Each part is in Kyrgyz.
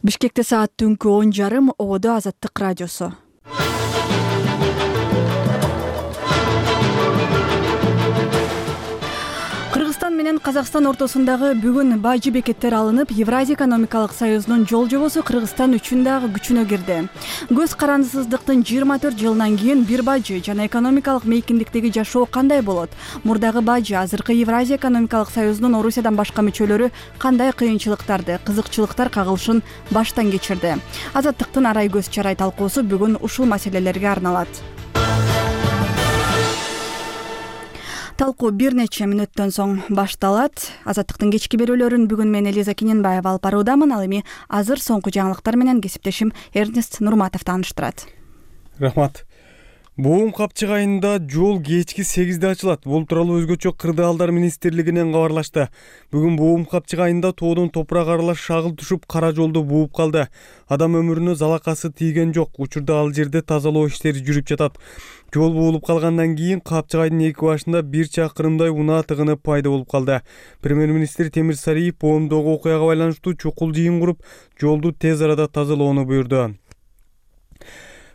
Бишкекте саат түнкү 10:30 Ободо Азаттык радиосу. Кыргызстан менен Казакстан ортосундагы бүгүн бажы бекеттер алынып, Евразия экономикалык союзунун жол жобосу Кыргызстан үчүн дагы күчүнө кирди. Көз карандысыздыктын 24 жылынан кийин бир бажы жана экономикалык мейкиндиктеги жашоо кандай болот? Мурдагы бажы азыркы Евразия экономикалык союзунун Орусиядан башка мүчөлөрү кандай кыйынчылыктарды, кызыкчылыктар кагылышын баштан кечирди? Азаттыктын арай көз чарай талкуусу бүгүн ушул маселелерге арналат. Талкуу бир нече мүнөттөн соң башталат. Азаттыктын кечки берүүлөрүн бүгүн мен Элиза Киненбаева алып баруудамын. Ал эми азыр соңку жаңылыктар менен кесиптешим Эрнест Нурматов тааныштырат. Рахмат. Боом Капчык айында жол кечки 8-де ачылат. Бул тууралуу өзгөчө Кырдаалдар министрлигинен кабарлашты. Бүгүн Боом Капчык айында тоодон топурак аралаш шагыл түшүп, кара жолду бууп калды. Адам өмүрүнө залакасы тийген жок. Учурда ал жерде тазалоо иштери жүрүп жатат. Жол буулуп калгандан кийин Капчык айдын эки башында 1 чакырымдай унаа тыгыны пайда болуп калды. Премьер-министр Темир Сариев Боомдогу окуяга байланыштуу чукул жыйын куруп, жолду тез арада тазалоону буйрду.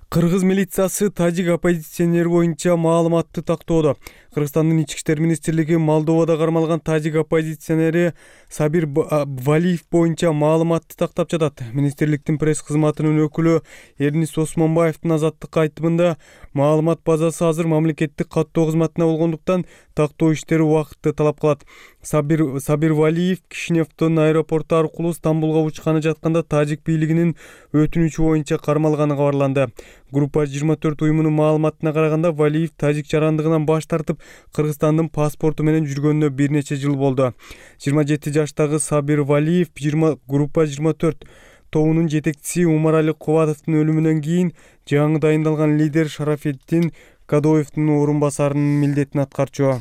Кыргыз милициясы тажик оппозиционери боюнча маалыматты тактоодо. Кыргызстандын ички иштер министрлиги Молдовада кармалган тажик оппозиционери Сабир Валиев боюнча маалыматты тактап жатат. Министрликтин пресс кызматынын өкүлү Эрнис Осмонбаевдин Азаттыкка айтымында маалымат базасы азыр мамлекеттик каттоо кызматына болгондуктан тактоо иштери убакытты талап кылат. Сабир Валиев Кишиневдин аэропорту аркылуу Стамбулга учканы жатканда тажик бийлигинин өтүнүчү боюнча кармалганы кабарланды. Группа 24 уюмунун маалыматына караганда Валиев тажик жарандыгынан баш тартып, Кыргызстандын паспорту менен жүргөнүнө бир нече жыл болду. 27 жаштагы Сабир Валиев Группа 24 тобунун жетекчиси Умарали Кубатовдун өлүмүнөн кийин жаңы дайындалган лидер Шарафеттин Кадоевдин орун басарынын милдетин аткарчу.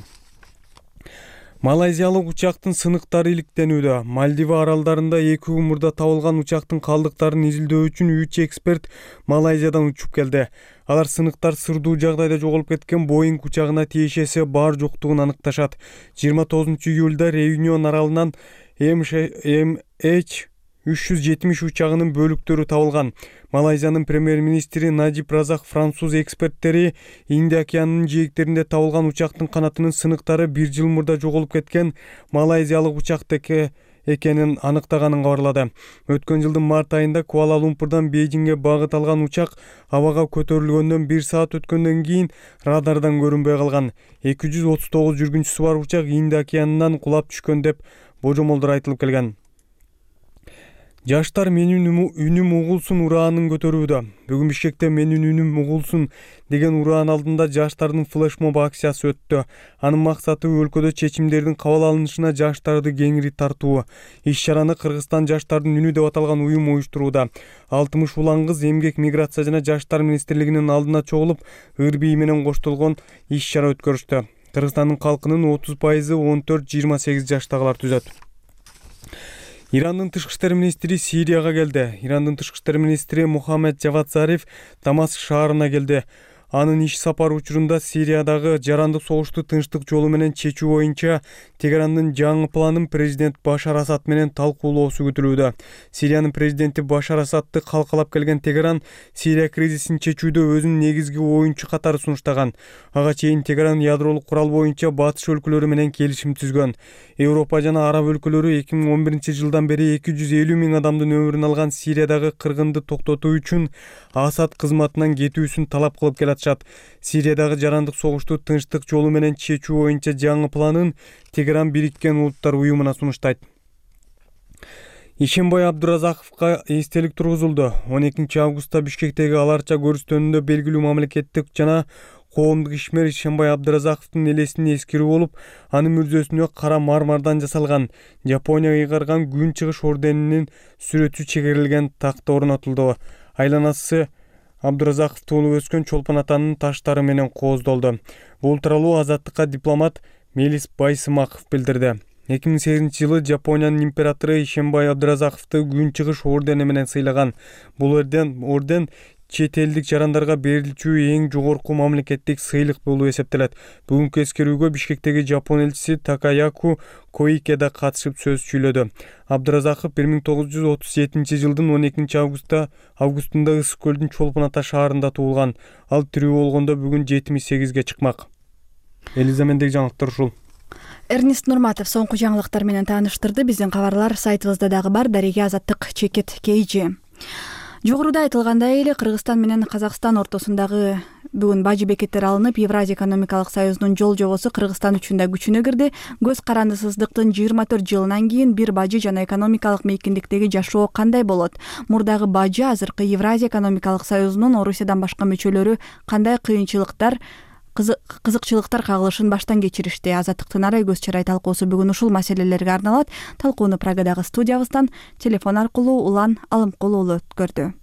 Малайзиялык учактын сыныктары иликтенүүдө. Мальдива аралдарында 2 күн мурда табылган учактын калдыктарын изилдөө үчүн 3 эксперт Малайзиядан учуп келди. Алар сыныктар сырдуу жагдайда жоголуп кеткен Боинг учагына тиешеси бар жоктугун аныкташат. 29 июлда Реюнион аралынан MH370 учагынын бөлүктөрү табылган. Малайзиянын премьер-министри Надиб Разак француз эксперттери Индия океанынын жээктеринде табылган учактын канатынын сыныктары 1 жыл мурда жоголуп кеткен малайзиялык учактыкі экенин аныктаганын кабарлады. Өткөн жылдын март айында Куала-Лумпурдан Бейжиңге багыт алган учак абага көтөрүлгөндөн 1 саат өткөндөн кийин радардан көрүнбөй калган. 239 жүргүнчүсү бар учак Индия океанынан кулап түшкөн деп божомолдор айтылып келген. Жаштар менин үнүм угулсун ураанын көтөрүүдө. Бүгүн Бишкекте менин үнүм угулсун деген ураан алдында жаштардын флешмоб акциясы өттү. Анын максаты өлкөдө чечимдердин кабыл алынышына жаштарды кеңири тартуу. Иш-чараны Кыргызстан жаштардын үнү деп аталган уюм уюштурууда. 60 улан кыз эмгек, миграция жана жаштар министрлигинин алдына чогулуп, ыр бии менен коштолгон иш-чара өткөрүштү. Кыргызстандын калкынын 30% 14-28 жаштагылар түзөт. Ирандын тышкы иштер министри Сирияга келди. Ирандын тышкы иштер министри Мухаммед Жавад Зариф Дамаск шаарына келди. Анын иш сапары учурунда Сириядагы жарандык согушту тынчтык жолу менен чечүү боюнча Тегерандын жаңы планын президент Башар Асад менен талкуулоосу күтүлүүдө. Сириянын президенти Башар Асадты калкалап келген Тегеран Сирия кризисин чечүүдө өзүнүн негизги оюнчу катары сунуштаган. Ага чейин Тегеран ядролук курал боюнча батыш өлкөлөрү менен келишим түзгөн. Европа жана араб өлкөлөрү 2011 жылдан бери 250 000 адамдын өмүрүн алган Сириядагы кыргынды токтотуу үчүн Асад кызматынан кетүүсүн талап кылып келатышат. Сириядагы жарандык согушту тынчтык жолу менен чечүү боюнча жаңы планын Тегеран Бириккен Улуттар уюмуна сунуштайт. Ишенбай Абдуразаковго эстелик тургузулду. 12 августта Бишкектеги аларча көрүстөнүндө белгилүү мамлекеттик жана коомдук ишмер Ишенбай Абдуразаковдун элесине эскерүү болуп, анын мүрзөсүнө кара мармардан жасалган Жапония ыйгарган күн чыгыш орденинин сүрөтү чегерилген такта орнотулду. Айланасы Абдуразаков туулуп өскөн Чолпон атанын таштары менен кооздолду. Бул тууралуу Азаттыкка дипломат Мелис Байсымаков билдирди. 2008 жылы Жапониянын императору Ишенбай Абдуразаковду күн чыгыш ордени менен сыйлаган. Бул орден чет элдик жарандарга берилчү эң жогорку мамлекеттик сыйлык болуп эсептелет. Бүгүнкү эскерүүгө Бишкектеги Жапон элчиси Такаяку Коике да катышып сөз сүйлөдү. Абдыразаков 1937-жылдын 12-августунда Ысык көлдүн Чолпон Ата шаарында туулган. Ал тирүү болгондо бүгүн 78-ге чыкмак. Элизамендеги жаңылыктар ушул. Эрнест Нурматов соңку жаңылыктар менен тааныштырды. Биздин кабарлар сайтыбызда дагы бар. Дареге Азаттык Чекет KG. Жогоруда айтылгандай эле Кыргызстан менен Казакстан ортосундагы бүгүн бажы бекеттер алынып, Евразия экономикалык союзунун жол жобосу Кыргызстан үчүн да күчүнө кирди. Көз карандысыздыктын 24 жылынан кийин бир бажы жана экономикалык мейкиндиктеги жашоо кандай болот? Мурдагы бажы азыркы Евразия экономикалык союзунун Орусиядан башка мүчөлөрү кандай кызыкчылыктар кагылышын баштан кечиришти? Азаттыктын арай көз чарай талкуусу бүгүн ушул маселелерге арналат. Талкууну Прагадагы студиябыздан телефон аркылуу Улан Алымкул уулу өткөрдү.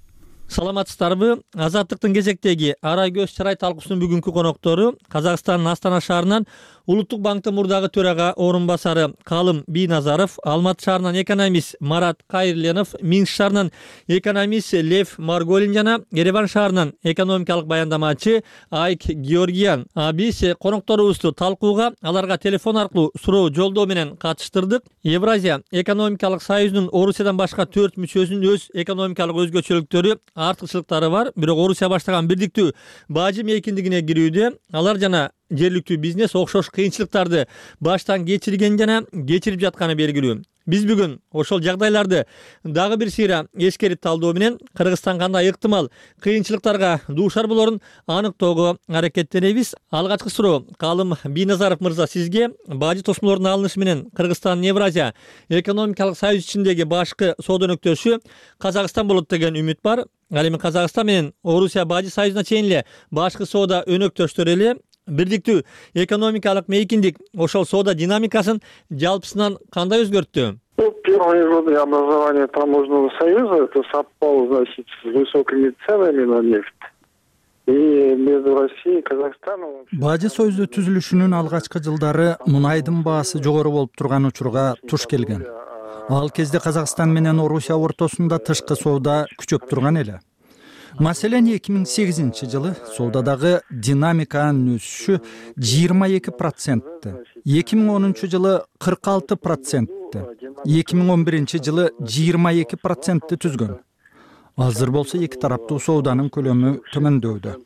Саламатсыздарбы? Азаттыктын кезектеги арай көз чарай талкуусунун бүгүнкү коноктору Казакстандын Астана шаарынан Улуттук банктын мурдагы төрага орун басары Калым Бийназаров, Алматы шаарынан экономист Марат Кайырленов, Минск шаарынан экономист Лев Марголин жана Ереван шаарынан экономикалык баяндамачы Айк Георгиян. Биз конокторубузду талкууга аларга телефон аркылуу суроо жолдоо менен катыштырдык. Евразия экономикалык союзунун Орусиядан башка 4 мүчөсүнүн өз экономикалык өзгөчөлүктөрү, артыкчылыктары бар. Бирок Орусия баштаган бирдиктүү бажы мейкиндигине кирүүдө алар жана жергиликтүү бизнес окшош кыйынчылыктарды баштан кечирген жана кечирип жатканы белгилүү. Биз бүгүн ошол жагдайларды дагы бир сыйра эскерип талдоо менен Кыргызстан кандай ыктымал кыйынчылыктарга дуушар болорун аныктоого аракеттенебиз. Алгачкы суроо Калым Бийназаров мырза, сизге бажы тосмолордун алынышы менен Кыргызстан Евразия экономикалык союз ичиндеги башкы соода өнөктөшү Казакстан болот деген үмүт бар. Ал эми Казакстан менен Орусия бажы союзуна чейин эле башкы соода өнөктөштөр эле. Бирдиктүү экономикалык мейкиндик ошол соода динамикасын жалпысынан кандай өзгөрттү? Первые годы образования таможенного союза это совпало, значит, с высокими ценами на нефть. И между Россией и Казахстаном бажы союзу түзүлүшүнүн алгачкы жылдары мунайдын баасы жогору болуп турган учурга туш келген. Ал кезде Казакстан менен Орусия ортосунда тышкы соода күчөп турган эле. Маселен 2008-жылы соодадагы динамиканын өсүшү 22%, 2010-жылы 46%, 2011-жылы 22% түзгөн. Азыр болсо эки тараптуу сооданын көлөмү төмөндөдө.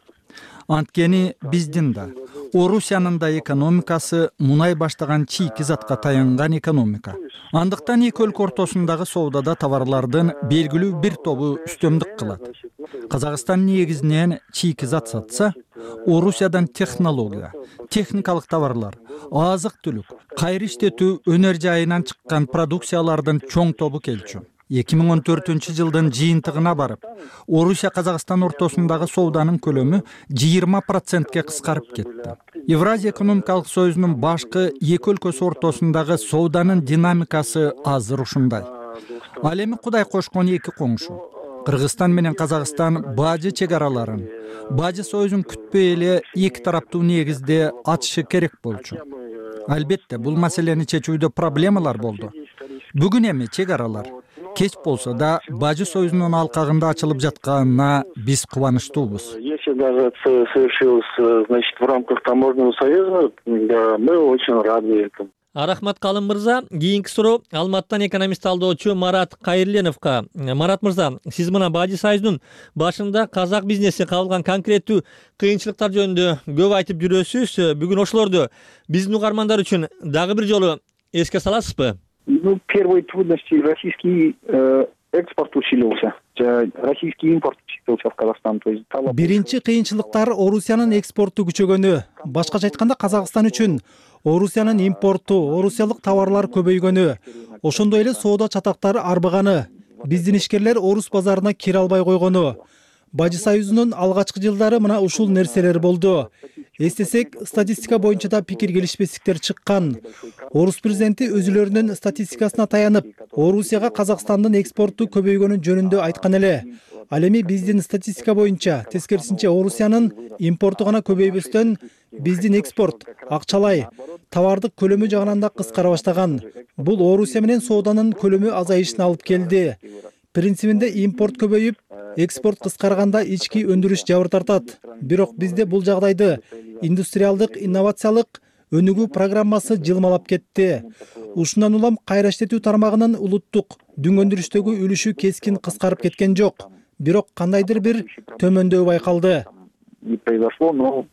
Анткени биздин да, Орусиянын да экономикасы мунай баштаган чийки затка таянган экономика. Андыктан эки өлкө ортосундагы соодада товарлардын белгилүү бир тобу үстөмдүк кылат. Казакстан негизинен чийки зат сатса, Орусиядан технология, техникалык товарлар, азык-түлүк, кайры иштетүү өнөр жайынан чыккан продукциялардын чоң тобу келчү. 2014-жылдын жыйынтыгына барып, Орусия Казакстан ортосундагы сооданын көлөмү 20%ке кыскарып кетти. Евразия экономикалык союзунун башкы эки өлкөсү ортосундагы сооданын динамикасы азыр ушундай. Ал эми Кудай кошкон эки коңшу Кыргызстан менен Казакстан бажы чек араларын, бажы союзун күтпөй эле эки тараптуу негизде ачышы керек болчу. Албетте, бул маселени чечүүдө проблемалар болду. Бүгүн эми чек аралар кеч болсо да бажы союзунун алкагында ачылып жатканына биз кубанычтуубуз. Если даже это совершилось, значит, в рамках таможенного союза, мы очень рады этому. Рахмат Калым мырза. Кийинки суроо Алматыдан экономист талдоочу Марат Кайырленовго. Марат мырза, сиз мына бажы союзунун башында казак бизнеси кабылган конкреттүү кыйынчылыктар жөнүндө көп айтып жүрөсүз. Бүгүн ошолорду биздин угармандар үчүн дагы бир жолу эске саласызбы? Первые трудности российский экспорт усилился, российский импорт усилился в Казахстан. Биринчи кыйынчылыктар Орусиянын экспорту күчөгөнү, башкача айтканда Казакстан үчүн Орусиянын импорту, орусиялык товарлар көбөйгөнү, ошондой эле соода чатактары арбыганы, биздин ишкерлер орус базарына кире албай койгону. Бажы союзунун алгачкы жылдары мына ушул нерселер болду. Эстесек, статистика боюнча да пикир келишпестиктер чыккан. Орус президенти өзүлөрүнүн статистикасына таянып, Орусияга Казакстандын экспорту көбөйгөнү жөнүндө айткан эле. Ал эми биздин статистика боюнча, тескерисинче Орусиянын импорту гана көбөйбөстөн, биздин экспорт, акчалай, товардык көлөмү жагынан да кыскара баштаган. Бул Орусия менен сооданын көлөмү азайышына алып келди. Принцибинде импорт көбөйүп, экспорт кыскарганда ички өндүрүш жабыр тартат. Бирок бизде бул жагдайды индустриалдык инновациялык өнүгүү программасы жылмалап кетти. Ушундан улам кайра иштетүү тармагынын улуттук дүң өндүрүштөгү үлүшү кескин кыскарып кеткен жок. Бирок кандайдыр бир төмөндөй байкалды. Не произошло, но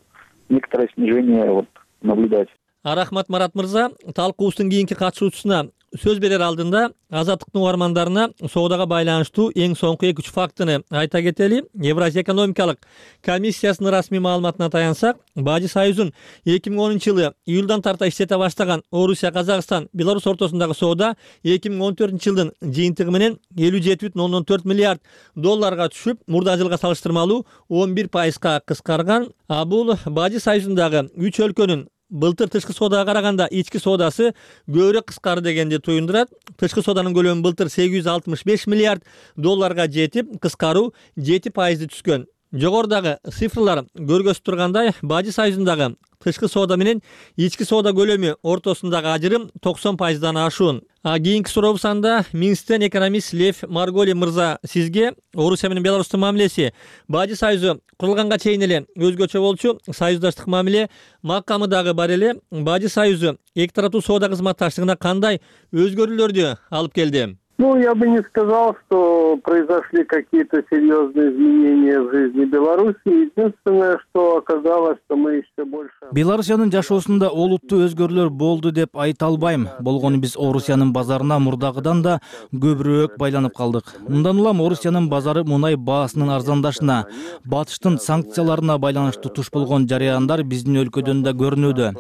некоторое снижение наблюдать. Рахмат Марат мырза, талкуубуздун кийинки катышуучусуна сөз берер алдында Азаттыктын угармандарына соодага байланыштуу эң соңку 2-3 фактыны айта кетели. Евразия экономикалык комиссиясынын расмий маалыматына таянсак, Бажы Союзун 2010-жылы июлдан тарта иштете баштаган Орусия, Казакстан, Беларусь ортосундагы соода 2014-жылдын жыйынтыгы менен 57,4 миллиард долларга түшүп, мурда жылга салыштырмалуу 11%га кыскарган. Бул Бажы Союзундагы 3 өлкөнүн былтыр тышкы соодага караганда ички соодасы көбүрөөк кыскарды дегенди туюндурат. Тышкы сооданын көлөмү былтыр 865 миллиард долларга жетип, кыскаруу 7% түшкөн. Жогорудагы цифрлар көргөзүп тургандай, Бажы Союзундагы тышкы соода менен ички соода көлөмү ортосундагы ажырым 90%дан ашуун. Кийинки сурообуз анда Минсктен экономист Лев Марголи мырза, сизге Орусия менен Беларустун мамилеси Бажы Союзу курулганга чейин эле өзгөчө болчу, союздаштык мамиле макамы дагы бар эле. Бажы Союзу эки тараптуу соода кызматташтыгына кандай өзгөрүүлөрдү алып келди? Я бы не сказал, что произошли какие-то серьезные изменения в жизни Беларуси. Единственное, что оказалось, что мы еще больше... Беларусиянын жашоосунда олуттуу өзгөрүүлөр болду деп айта албайм. Болгону биз Орусиянын базарына мурдагыдан да көбүрөөк байланып калдык. Мындан улам Орусиянын базары мунай баасынын арзандашына, батыштын санкцияларына байланыштуу туш болгон жараяндар биздин өлкөдөн да көрүнүүдө.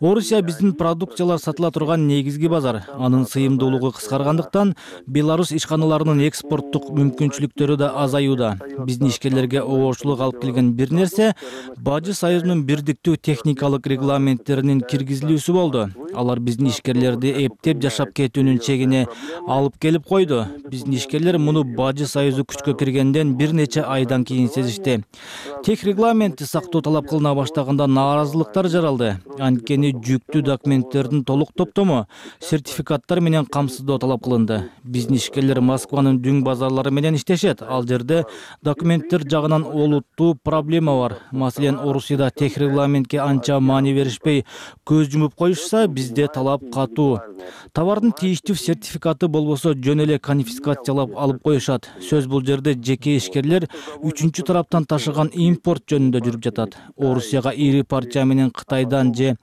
Орусия биздин продукциялар сатыла турган негизги базар. Анын сыйымдуулугу кыскаргандыктан Беларусь ишканаларынын экспорттук мүмкүнчүлүктөрү да азаюуда. Биздин ишкерлерге оорчулук алып келген бир нерсе Бажы Союзунун бирдиктүү техникалык регламенттеринин киргизилүүсү болду. Алар биздин ишкерлерди эптеп жашап кетүүнүн чегине алып келип койду. Биздин ишкерлер муну Бажы Союзу күчкө киргенден бир нече айдан кийин сезишти. Тех регламентти сактоо талап кылына баштаганда нааразылыктар жаралды. Анткени жүктүү документтердин толук топтому сертификаттар менен камсыздоо талап кылынды. Биздин ишкерлер Москванын дүң базарлары менен иштешет. Ал жерде документтер жагынан олуттуу проблема бар. Маселен, Орусияда тех регламентке анча маани беришпей көз жумуп коюшса, бизде талап катуу. Товардын тийиштүү сертификаты болбосо жөн эле конфискациялап алып коюшат. Сөз бул жерде жеке ишкерлер үчүнчү тараптан ташыган импорт жөнүндө жүрүп жатат. Орусияга ири партия менен Кытайдан же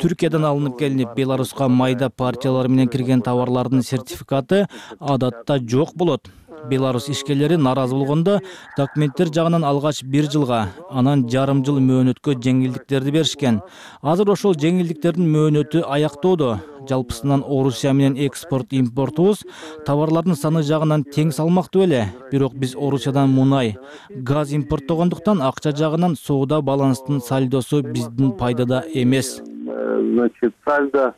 Түркиядан алынып келинип, Беларуска майда партиялар менен кирген товарлардын сертификаты адатта жок болот. Беларусь ишкерлери нааразы болгондо документтер жагынан алгач 1 жылга, анан жарым жыл мөөнөткө жеңилдиктерди беришкен. Азыр ошол жеңилдиктердин мөөнөтү аяктоодо. Жалпысынан Орусия менен экспорт-импортубуз товарлардын саны жагынан тең салмактуу эле. Бирок биз Орусиядан мунай, газ импорттогондуктан акча жагынан соода баланстын сальдосу биздин пайдада эмес. Значит, сальдо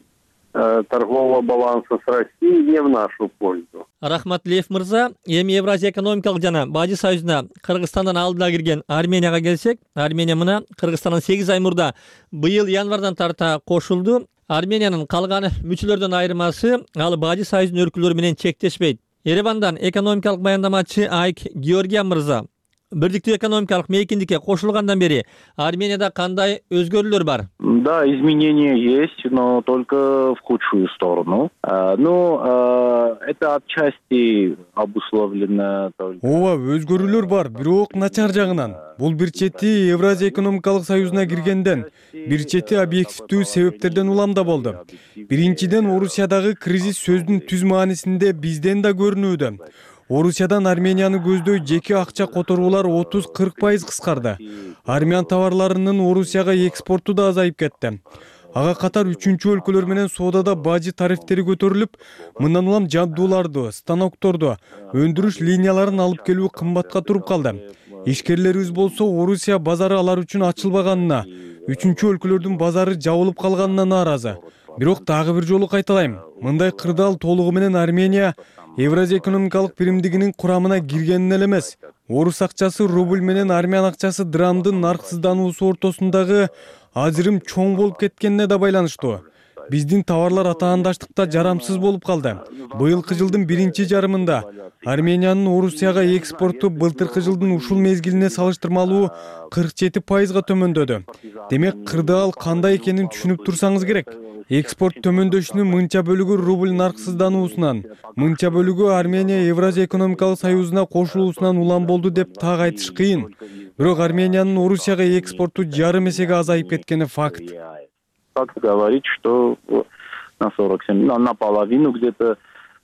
торгового баланса с Россией не в нашу пользу. Рахмат Лев мырза, эми Евразия экономикалык жана Бажы Союзуна Кыргызстандан алдыда кирген Арменияга келсек, Армения мына Кыргызстандан 8 ай мурда быйыл январдан тарта кошулду. Армениянын калган мүчөлөрдөн айырмасы, ал Бажы Союзунун өлкөлөрү менен чектешпейт. Еревандан экономикалык баяндамачы Айк Георгия мырза, бирдиктүү экономикалык мейкиндикке кошулгандан бери Арменияда кандай өзгөрүүлөр бар? Да, изменения есть, но только в худшую сторону. Это отчасти обусловлено только... Ооба, өзгөрүүлөр бар, бирок начар жагынан. Бул бир чети Евразия экономикалык союзуна киргенден, бир чети объективдүү себептерден уламда болду. Биринчиден, Орусиядагы кризис сөздүн түз маанисинде бизден да көрүнүүдө. Орусиядан Арменияны көздөй жеке акча которуулар 30-40% кыскарды. Армян товарларынын Орусияга экспорту да азайып кетти. Ага катар үчүнчү өлкөлөр менен соодада бажы тарифтери көтөрүлүп, мындан улам жабдууларды, станокторду, өндүрүш линияларын алып келүү кымбатка туруп калды. Ишкерлерибиз болсо Орусия базары алар үчүн ачылбаганына, үчүнчү өлкөлөрдүн базары жабылып калганына нааразы. Бирок дагы бир жолу кайталайм, мындай кырдаал толугу менен Армения Евразия экономикалык биримдигинин курамына кирген эле эмес. Орус акчасы рубль менен армян акчасы драмдын нарксыздануусу ортосундагы ажырым чоң болуп кеткенине да байланыштуу. биздин товарлар атаандаштыкта жарамсыз болуп калды. Быйылкы жылдын биринчи жарымында Армениянын Орусияга экспорту былтыркы жылдын ушул мезгилине салыштырмалуу 47%га төмөндөдү. Демек, кырдаал кандай экенин түшүнүп турсаңыз керек. Экспорт төмөндөшүнүн мынча бөлүгү рубль нарксыздануусунан, мынча бөлүгү Армения Евразия экономикалык союзуна кошулуусунан улам болду деп так айтыш кыйын. Бирок Армениянын Орусияга экспорту жарым эсеге азайып кеткени факт. Факт говорит, что на 47, наполовину где-то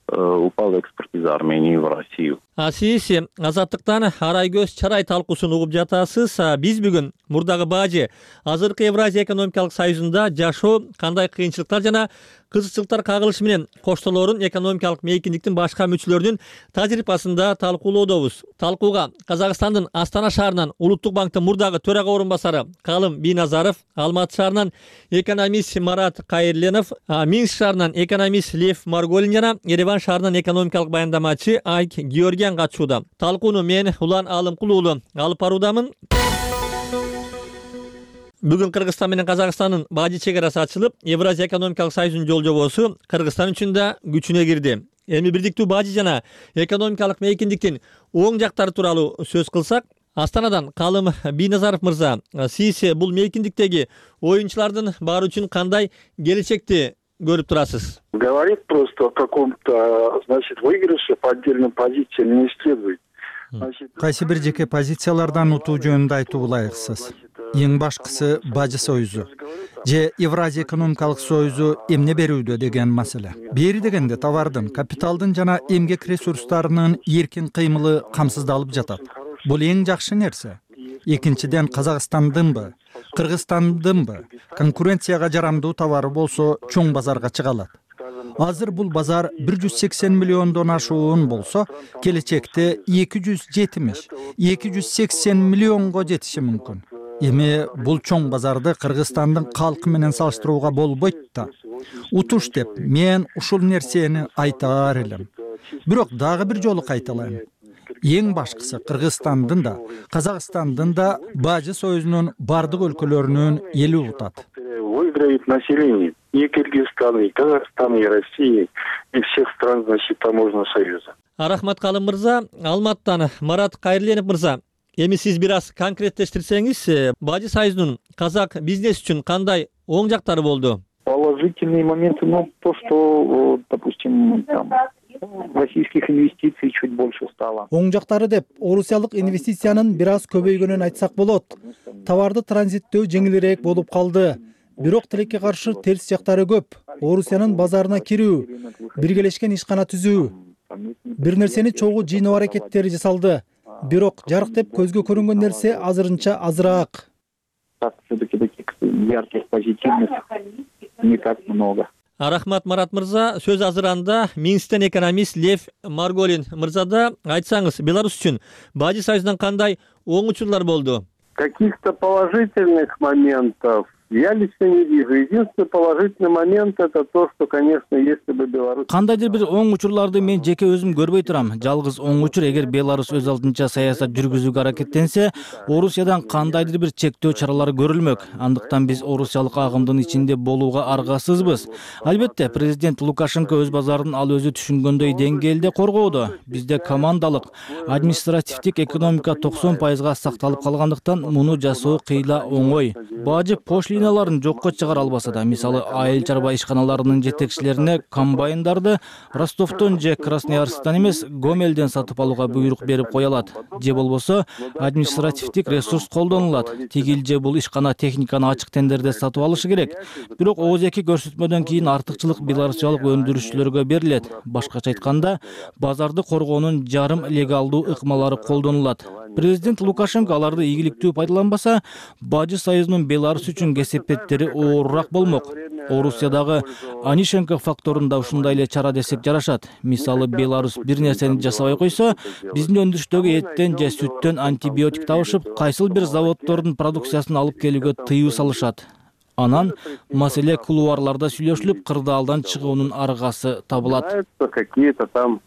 упал экспорт из Армении в Россию. Сиз Азаттыктан арай көз чарай талкуусун угуп жатасыз. Биз бүгүн мурдагы бажы азыркы Евразия экономикалык союзунда жашоо кандай кыйынчылыктар жана кызыкчылыктар кагылышы менен коштолорун экономикалык мейкиндиктин башка мүчөлөрүнүн тажрыйбасында талкуулоодобуз. Талкууга Казакстандын Астана шаарынан Улуттук банктын мурдагы төрага орун басары Калым Бийназаров, Алматы шаарынан экономист Марат Кайырленов, Минск шаарынан экономист Лев Марголин жана Ереван шаарынан экономикалык баяндамачы Айк Георгиян катышууда. Талкууну мен Улан Алымкул уулу алып баруудамын. Бүгүн Кыргызстан менен Казакстандын бажы чек арасы ачылып, Евразия экономикалык союзунун жол жобосу Кыргызстан үчүн да күчүнө кирди. Эми бирдиктүү бажы жана экономикалык мейкиндиктин оң жактары тууралуу сөз кылсак, Астанадан Калым Бийназаров мырза, сиз бул мейкиндиктеги оюнчулардын баары үчүн кандай келечекти көрүп турасыз? Говорит просто о каком-то, значит, выигрыше по отдельным позициям не следует. Кайсы бир жеке позициялардан утуу жөнүндө айтуу ылайыксыз. Эң башкысы бажы союзу же Евразия экономикалык союзу эмне берүүдө деген маселе. Бери дегенде товардын, капиталдын жана эмгек ресурстарынын эркин кыймылы камсыздалып жатат. Бул эң жакшы нерсе. Экинчиден, Казакстандынбы, Кыргызстандынбы конкуренцияга жарамдуу товары болсо чоң базарга чыга алат. Азыр бул базар 180 миллиондон ашуун болсо, келечекте 270-280 миллионго жетиши мүмкүн. Эми бул чоң базарды Кыргызстандын калкы менен салыштырууга болбойт да. Утуш деп мен ушул нерсени айтаар элем. Бирок дагы бир жолу кайталайм. Эң башкысы Кыргызстандын да, Казакстандын да бажы союзунун бардык өлкөлөрүнүн эли утат. Выиграет население и Кыргызстана, и Казахстана, и России, и всех стран, значит, таможенного союза. Рахмат Калым мырза. Алматтан Марат Кайырленов мырза. Эми сиз бир аз конкреттештирсеңиз, бажы союзунун казак бизнес үчүн кандай оң жактары болду? Положительные моменты, то, что, допустим, там российских инвестиций чуть больше стало. Оң жактары деп орусиялык инвестициянын бир аз көбөйгөнүн айтсак болот. Товарды транзиттөө жеңилирээк болуп калды. Бирок тилекке каршы терс жактары көп. Орусиянын базарына кирүү, биргелешкен ишкана түзүү, бир нерсени чогуу жыйноо аракеттери жасалды. Бирок жарык деп көзгө көрүнгөн нерсе азырынча азыраак. Все-таки таких ярких позитивных не так много. Рахмат Марат мырза. Сөз азыранда Минсктен экономист Лев Марголин мырзада. Айтсаңыз, Беларусь үчүн бажы союзунан кандай оң учурлар болду? Каких-то положительных моментов я лично не вижу. Единственный положительный момент это то, что, конечно, если бы Беларусь... Кандайдыр бир оң учурларды мен жеке өзүм көрбөй турам. Жалгыз оң учур эгер Беларусь өз алдынча саясат жүргүзүүгө аракеттенсе, Орусиядан кандайдыр бир чектөө чаралары көрүлмөк. Андыктан биз орусиялык агымдын ичинде болууга аргасызбыз. Албетте, президент Лукашенко өз базарын ал өзү түшүнгөндөй деңгээлде коргоодо. Бизде командалык, административдик экономика 90%га сакталып калгандыктан муну жасоо кыйла оңой. Бажы пошлиналарын жокко чыгара албаса да, мисалы айыл чарба ишканаларынын жетекчилерине комбайндарды Ростовдон же Красноярсктан эмес, Гомелден сатып алууга буйрук берип кое алат. Же болбосо административдик ресурс колдонулат. Тигил же бул ишкана техниканы ачык тендерде сатып алышы керек. Бирок ооздеки көрсөтмөдөн кийин артыкчылык беларусиялык өндүрүшчүлөргө берилет. Башкача айтканда, базарды коргоонун жарым легалдуу ыкмалары колдонулат. Президент Лукашенко аларды ийгиликтүү пайдаланбаса, бажы союзунун Беларусь үчүн кесепеттери оорураак болмок. Орусиядагы Анишенко факторунда ушундай эле чара десек жарашат. Мисалы Беларусь бир нерсени жасабай койсо, биздин өндүрүштөгү эттен же сүттөн антибиотик табышып, кайсыл бир заводдордун продукциясын алып келүүгө тыюу салышат. Анан маселе кулуарларда сүйлөшүлүп, кырдаалдан чыгуунун аргасы табылат. Какие-то там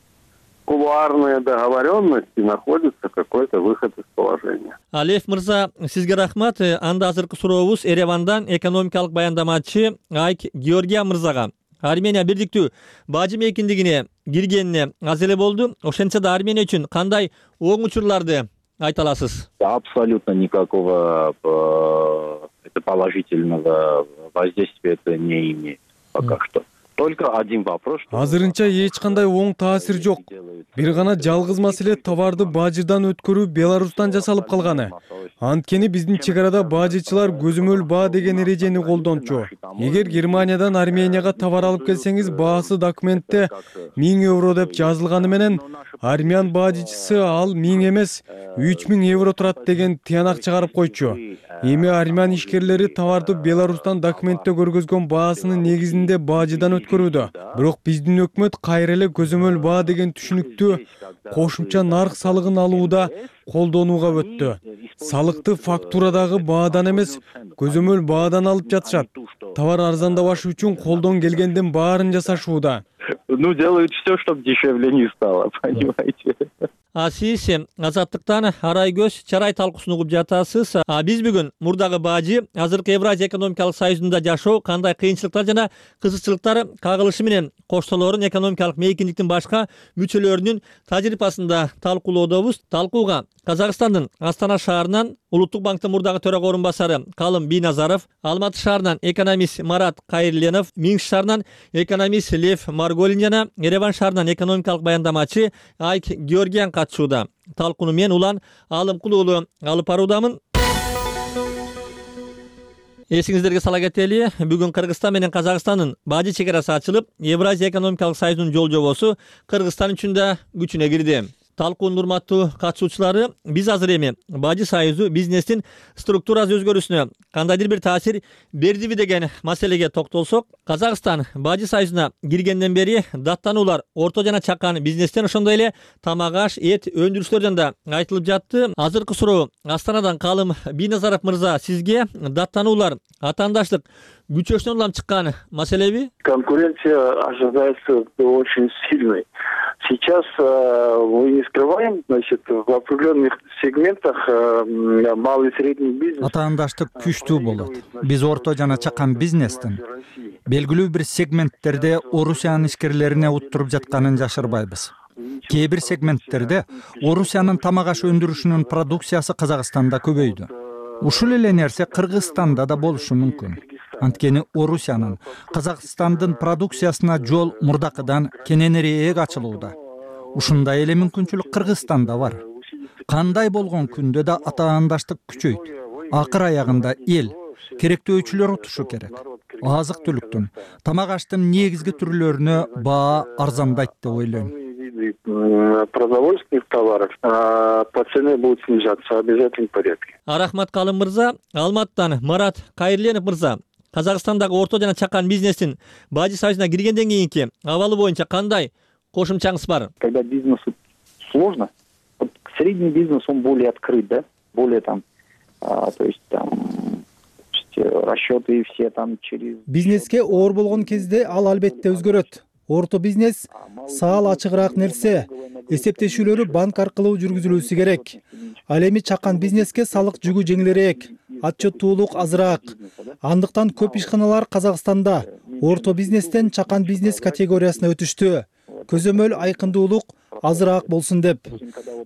кулуарная договоренность и находится какой-то выход из положения. Алиев мырза, сизге рахмат. Анда азыркы сурообуз Еревандан экономикалык баяндамачы Айк Георгия мырзага. Армения бирдиктүү бажы мейкиндигине киргенине аз эле болду. Ошентсе да Армения үчүн кандай оң учурларды айта аласыз? Абсолютно никакого положительного воздействия это не имеет пока что. Только один вопрос. Азырынча эч кандай оң таасир жок. Бир гана жалгыз маселе товарды бажыдан өткөрүү Беларустан жасалып калганы. Анткени биздин чек арада бажычылар көзөмөл баа деген эрежени колдончу. Эгер Германиядан Арменияга товар алып келсеңиз, баасы документте 1000 евро деп жазылганы менен армян бажычысы ал 1000 эмес 3000 евро турат деген тыянак чыгарып койчу. Эми армян ишкерлери товарды Беларустан документте көргөзгөн баасынын негизинде бажыдан өткөрүүдө. Бирок биздин өкмөт кайра эле көзөмөл баа деген түшүнүктү кошумча нарк салыгын алууда колдонууга өттү. Салыкты фактурадагы баадан эмес, көзөмөл баадан алып жатышат. Товар арзандабашы үчүн колдон келгендин баарын жасашууда. Ну, делают все, чтобы дешевле не стало, понимаете? Сиз Азаттыктан арай көз чарай талкуусун угуп жатасыз. Биз бүгүн мурдагы бажы азыркы Евразия экономикалык союзунда жашоо кандай кыйынчылыктар жана кызыкчылыктар кагылышы менен коштолорун экономикалык мейкиндиктин башка мүчөлөрүнүн тажрыйбасында талкуулоодобуз. Талкууга Казакстандын Астана шаарынан Улуттук банктын мурдагы төрага орун басары Калым Бийназаров, Алматы шаарынан экономист Марат Кайырленов, Минск шаарынан экономист Лев Марголин жана Ереван шаарынан экономикалык баяндамачы Айк Георгиян катышууда. Талкууну мен Улан Алымкул уулу алып баруудамын. Эсиңиздерге сала кетели, бүгүн Кыргызстан менен Казакстандын бажы чек арасы ачылып, Евразия экономикалык союзунун жол жобосу Кыргызстан үчүн да күчүнө кирди. Талкуунун урматтуу катышуучулары, биз азыр эми бажы союзу бизнестин структурасы өзгөрүүсүнө кандайдыр бир таасир бердиби деген маселеге токтолсок, Казакстан бажы союзуна киргенден бери даттануулар орто жана чакан бизнестен, ошондой эле тамак аш, эт өндүрүүчүлөрдөн да айтылып жатты. Азыркы суроо Астанадан Калым Бийназаров мырза, сизге даттануулар атаандаштык күчөсүнөн улам чыккан маселеби? Конкуренция ожидается очень сильной. Сейчас мы не скрываем, значит, в определенных сегментах малый и средний бизнес. Атаандаштык күчтүү болот. Биз орто жана чакан бизнестин белгилүү бир сегменттерде Орусиянын ишкерлерине уттуруп жатканын жашырбайбыз. Кээ бир сегменттерде Орусиянын тамак аш өндүрүшүнүн продукциясы Казакстанда көбөйдү. Ушул эле нерсе Кыргызстанда да болушу мүмкүн. Анткени Орусиянын Казакстандын продукциясына жол мурдакыдан кененирээк ачылууда. Ушундай эле мүмкүнчүлүк Кыргызстанда бар. Кандай болгон күндө да атаандаштык күчөйт. Акыр аягында эл керектөөчүлөр утушу керек. Азык-түлүктүн, тамак аштын негизги түрлөрүнө баа арзандайт деп ойлойм. Продовольственных товаров по цене будут снижаться в обязательном порядке. Рахмат Калым мырза. Алматтан Марат Кайырленов мырза, Казакстандагы орто жана чакан бизнестин бажы союзуна киргенден кийинки абалы боюнча кандай кошумчаңыз бар? Когда бизнесу сложно, вот средний бизнес, он более открыт, да, более там, то есть там расчеты все там через... Бизнеске оор болгон кезде ал албетте өзгөрөт. Орто бизнес саал ачыгыраак нерсе, эсептешүүлөрү банк аркылуу жүргүзүлүүсү керек. Ал эми чакан бизнеске салык жүгү жеңилирээк, отчеттуулук азыраак. Андыктан көп ишканалар Казакстанда орто бизнестен чакан бизнес категориясына өтүштү. Көзөмөл айкындуулук азыраак болсун деп.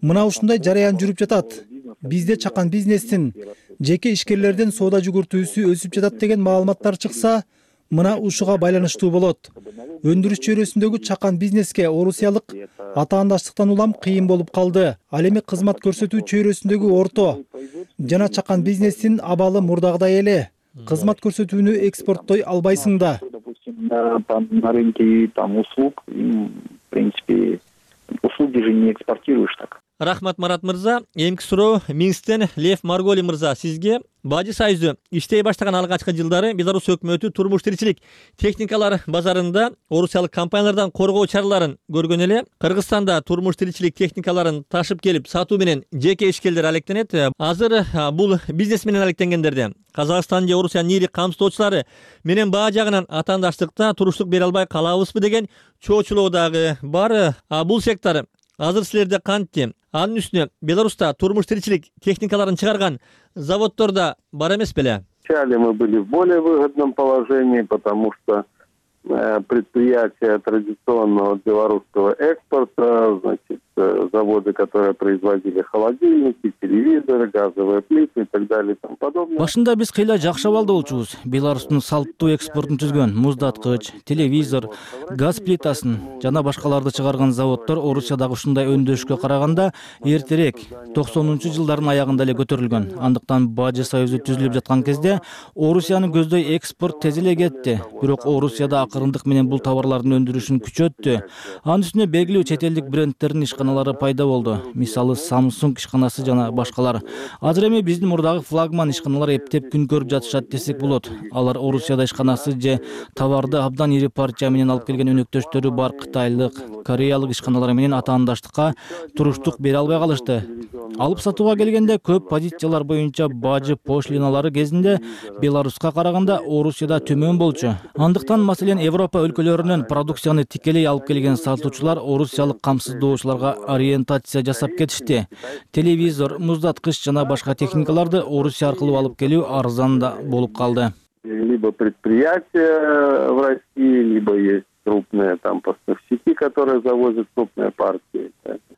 Мына ушундай жараян жүрүп жатат. Бизде чакан бизнестин жеке ишкерлерден соода жүгүртүүсү өсүп жатат деген маалыматтар чыкса, мына ушуга байланыштуу болот. Өндүрүш чөйрөсүндөгү чакан бизнеске орусиялык атаандаштыктан улам кыйын болуп калды. Ал эми кызмат көрсөтүү чөйрөсүндөгү орто жана чакан бизнестин абалы мурдагыдай эле. Кызмат көрсөтүүнү экспорттой албайсың да. На рынке там услуг, в принципе, услуги же не экспортируешь так. Рахмат Марат мырза. Эмки суроо Минсктен Лев Марголин мырза, сизге. Бажы союзу иштей баштаган алгачкы жылдары Беларусь өкмөтү турмуш тиричилик техникалар базарында орусиялык компаниялардан коргоо чараларын көргөн эле. Кыргызстанда турмуш тиричилик техникаларын ташып келип сатуу менен жеке ишкерлер алектенет. Азыр бул бизнес менен алектенгендерде Казакстан же Орусиянын ири камсыздоочулары менен баа жагынан атаандаштыкта туруштук бере албай калабызбы деген чоочулоо дагы бар. Бул сектор азыр силерде кантти? Анын үстүнө Беларуста турмуш тиричилик техникаларын чыгарган заводдор да бар эмес беле? Вначале мы были в более выгодном положении, потому что предприятия традиционного белорусского экспорта, значит, заводы, которые производили холодильники, телевизоры, газовые плиты и так далее и тому подобное. Башында биз кыйла жакшы абалда болчубуз. Беларустун салттуу экспортун түзгөн муздаткыч, телевизор, газ плитасын жана башкаларды чыгарган заводдор Орусиядагы ушундай өндөшкө караганда эртерээк 90-жылдардын аягында эле көтөрүлгөн. Андыктан Бажы союзу түзүлүп жаткан кезде Орусияны көздөй экспорт тез эле кетти. Бирок Орусияда акырындык менен бул товарлардын өндүрүшүн күчөттү. Анын үстүнө белгилүү чет элдик брендтердин ишканалары пайда болду. Мисалы Samsung ишканасы жана башкалар. Азыр эми биздин мурдагы флагман ишканалар эптеп күн көрүп жатышат десек болот. Алар Орусияда ишканасы же товарды абдан ири партия менен алып келген өнөктөштөрү бар кытайлык, кореялык ишканалар менен атаандаштыкка туруштук бере албай калышты. Алып сатууга келгенде көп позициялар боюнча бажы пошлиналары кезинде Беларуска караганда Орусияда төмөн болчу. Андыктан маселен Европа өлкөлөрүнөн продукцияны тикелей алып келген сатуучулар орусиялык камсыздоочуларга ориентация жасап кетишти. Телевизор, муздаткыч жана башка техникаларды Орусия аркылуу алып келүү арзан да болуп калды. Либо предприятия в России, либо есть крупные там поставщики, которые завозят крупные партии.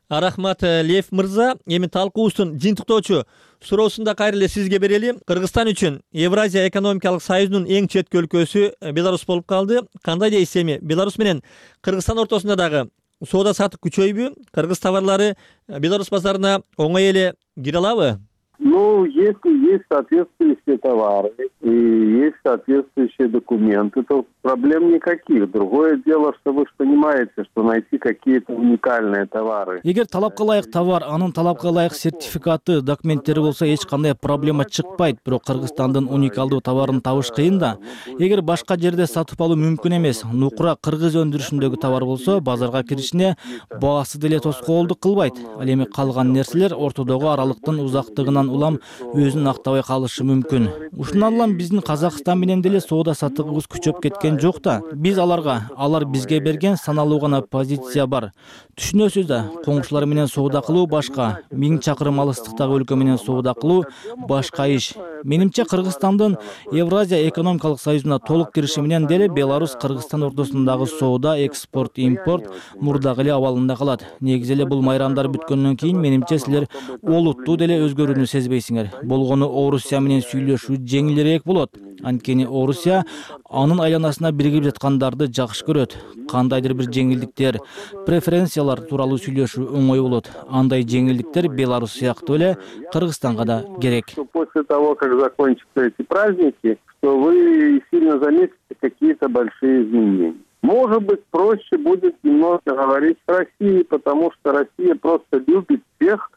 Рахмат, Лев мырза. Эми талкуубуздун жыйынтыктоочу суроосун да кайра эле сизге берели. Кыргызстан үчүн Евразия экономикалык союзунун эң четки өлкөсү Беларусь болуп калды. Кандай дейсиз эми Беларусь менен Кыргызстан ортосунда дагы соода сатык күчөйбү? Кыргыз товарлары Беларусь базарына оңой эле кире алабы? Ну, если есть соответствующие товары и есть соответствующие документы, то проблем никаких. Другое дело, что вы же понимаете, что найти какие-то уникальные товары. Эгер талапка ылайык товар, анын талапка ылайык сертификаты, документтери болсо эч кандай проблема чыкпайт. Бирок Кыргызстандын уникалдуу товарын табыш кыйын да. Эгер башка жерде сатып алуу мүмкүн эмес, нукура кыргыз өндүрүшүндөгү товар болсо, базарга киришине баасы деле тоскоолдук кылбайт. Ал эми калган нерселер ортодогу аралыктын узактыгынан улам өзүн актабай калышы мүмкүн. Ушундан улам биздин Казакстан менен деле соода сатыгыбыз күчөп кеткен жок да. Биз аларга, алар бизге берген саналуу гана позиция бар. Түшүнөсүз да, коңшулар менен соода кылуу башка, 1000 чакырым алыстыктагы өлкө менен соода кылуу башка иш. Менимче Кыргызстандын Евразия экономикалык союзуна толук кириши менен деле Беларусь Кыргызстан ортосундагы соода, экспорт, импорт мурдагы эле абалында калат. Негизи эле бул майрамдар бүткөндөн кийин менимче силер олуттуу деле өзгөрүүнү сезбейсиңер. Болгону Орусия менен сүйлөшүү жеңилирээк болот. Анткени Орусия анын айланасына биригип жаткандарды жакшы көрөт. Кандайдыр бир жеңилдиктер, преференциялар тууралуу сүйлөшүү оңой болот. Андай жеңилдиктер Беларусь сыяктуу эле Кыргызстанга да керек. После того, как закончатся эти праздники, что вы сильно заметите какие-то большие изменения. Может быть, проще будет немного говорить с Россией, потому что Россия просто любит всех,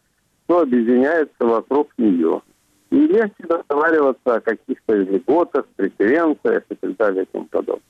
кто объединяется вокруг нее. И легче договариваться о каких-то льготах, преференциях и так далее и тому подобное.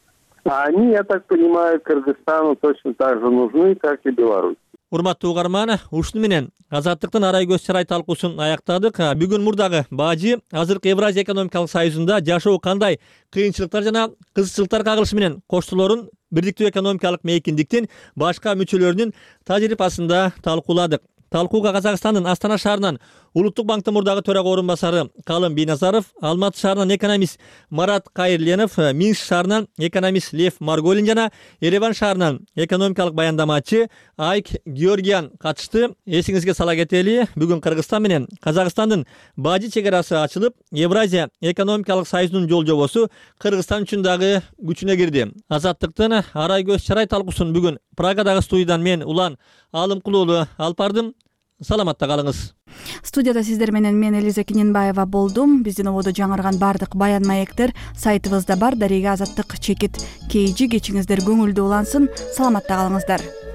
А они, я так понимаю, Кыргызстану точно так же нужны, как и Беларусь. Урматтуу угарман, ушуну менен Азаттыктын арай көз чырай талкуусун аяктадык. Бүгүн мурдагы бажы азыркы Евразия экономикалык союзунда жашоо кандай кыйынчылыктар жана кызыкчылыктар кагылышы менен коштолорун бирдиктүү экономикалык мейкиндиктин башка мүчөлөрүнүн тажрыйбасында талкууладык. Талкууга Казакстандын Астана шаарынан Улуттук банктын мурдагы төрага орун басары Калым Бийназаров, Алматы шаарынан экономист Марат Кайырленов, Минск шаарынан экономист Лев Марголин жана Ереван шаарынан экономикалык баяндамачы Айк Георгиян катышты. Эсиңизге сала кетели, бүгүн Кыргызстан менен Казакстандын бажы чек-арасы ачылып, Евразия экономикалык союзунун жол жобосу Кыргызстан үчүн дагы күчүнө кирди. Азаттыктын арай көз чырай талкуусун бүгүн Прагадагы студиядан мен Улан Алымкулуулу алып бардым. Саламатта калыңыз. Студияда сиздер менен мен Элиза Кененбаева болдум. Биздин ободо жаңырган бардык баян маектер сайтыбызда бар. Дарега Азаттык чекит KG. Кечиңиздер көңүлдүү улансын. Саламатта калыңыздар.